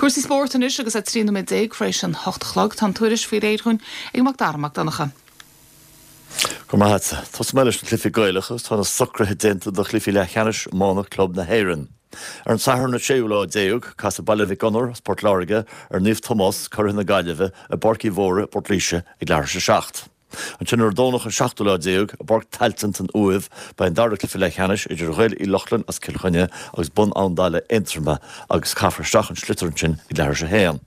Cúrsaí spóirt anois agus é 13 nóiméad tar éis an 8 a chlog. Tá an tuairisc faoi réir dhúinn ag Mac Dara Mac Donncha. Go raibh maith agat. Tosóidh mé leis na cluichí Gaelacha agus tá na socruithe déanta do chluichí leathcheannais iomána club na hÉireann. Ar an Satharn an séú lá déag, casfaidh Baile Mhic Gonair as Port Láirge ar Naomh Tomás, curaidh na Gaillimhe, i bPáirc Uí Mhórdha i bPort Laoise ag leathuair tar éis a 7. Ansin ar an Domhnach an seachtú lá déag, i bPáirc Tailteann san Uaimh, beidh an dara cluiche leathcheannais idir Ghaeil Uí Lochlainn as Cill Chainnigh agus Bun Abhann Dalla Aontroma agus caithfear isteach an sliotar ansin ag leathuair tar éis a haon.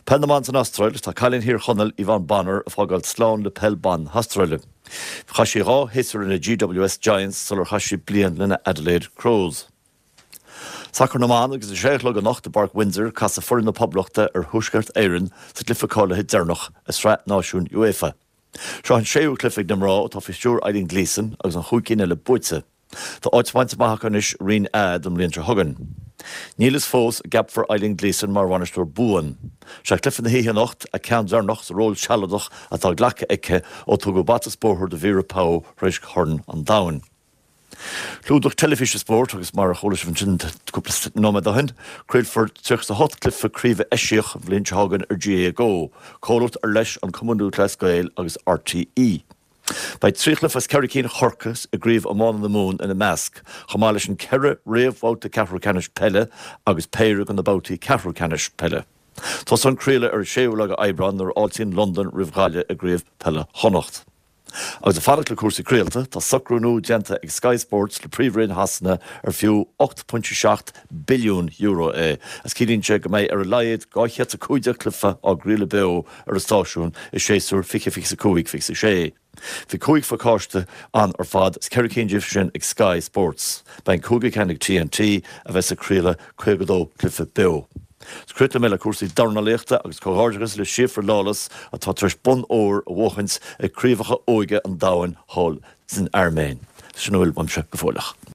Peil na mBan san Astráil, Tá cailín Thír Chonaill, Yvonne Bonner, ag fágáil slán le peil ban na hAstráile. Chaith sí dhá shéasúr lena GWS Giants sular chaith sí bliain lena Adelaide Crows. Sacar na mBan agus a sé a chlog anocht i bPáirc Windsor, casfaidh foireann na Poblachta ar Thuaisceart Éireann sa gcluiche cáilithe deireanach i Sraith Náisiún UEFA. Seo an séú cluiche ag na mná atá faoi stiúir Eileen Gleeson agus an chúig cinn eile buaite. Tá áit bainte amach acu anois i Roinn A don mbliain seo chugainn. Níl fhios fós an gceapfar Eileen Gleeson mar bhainisteoir buan. Sé cluiche na hoíche anocht a ceann deireanach sa ról sealadach atá glactha aici ó tugadh bata is bóthar do Vera Pauw tar éis Chorn an Domhain. Clúdach teilifíse spóirt agus mar a chuala sibh ansin cúpla nóiméad ó shin, craolfar 38 cluiche craoibhe eisiach an bhliain seo chugainn ar GAA Go, comhlacht ar leis an Cumann Lúthchleas Gael agus RTÉ. Beidh 3 chluiche as ceithre cinn Chorcaí i gCraobh Iomána na Mumhan ina measc, chomh maith leis an 4 réamhbhabhta ceathrú ceannais peile agus péire de na babhtaí ceathrú ceannais peile. Tosóidh an craoladh ar an 6ú lá de Aibreán nuair a fháiltíonn Londain roimh Ghaillimh i gCraobh Peile Chonnacht. Agus ag fanacht le cúrsaí craolta, tá socrú nua déanta ag Sky Sports le Príomhroinn Shasana ar fiú €8.7 billiún é agus ciallaíonn sé go mbeidh ar a laghad 215 cluiche á gcraoladh beo ar an stáisiún i séasúr 2025, 26. Bhí cúig phacáiste ann ar fad is ceithre cinn díobh sin ag Sky Sports. Beidh an cúigiú ceann ag TNT a bheas ag craoladh 52 cluiche beo. Críochnóidh mé le cúrsaí dornálaíochta agus comhghairdeachas le Síofra Lawless atá tar éis bonn óir a bhuachaint ag Craobhacha Óige an Domhain thall san Airméin. Sin a bhfuil uaimse go fóilleach.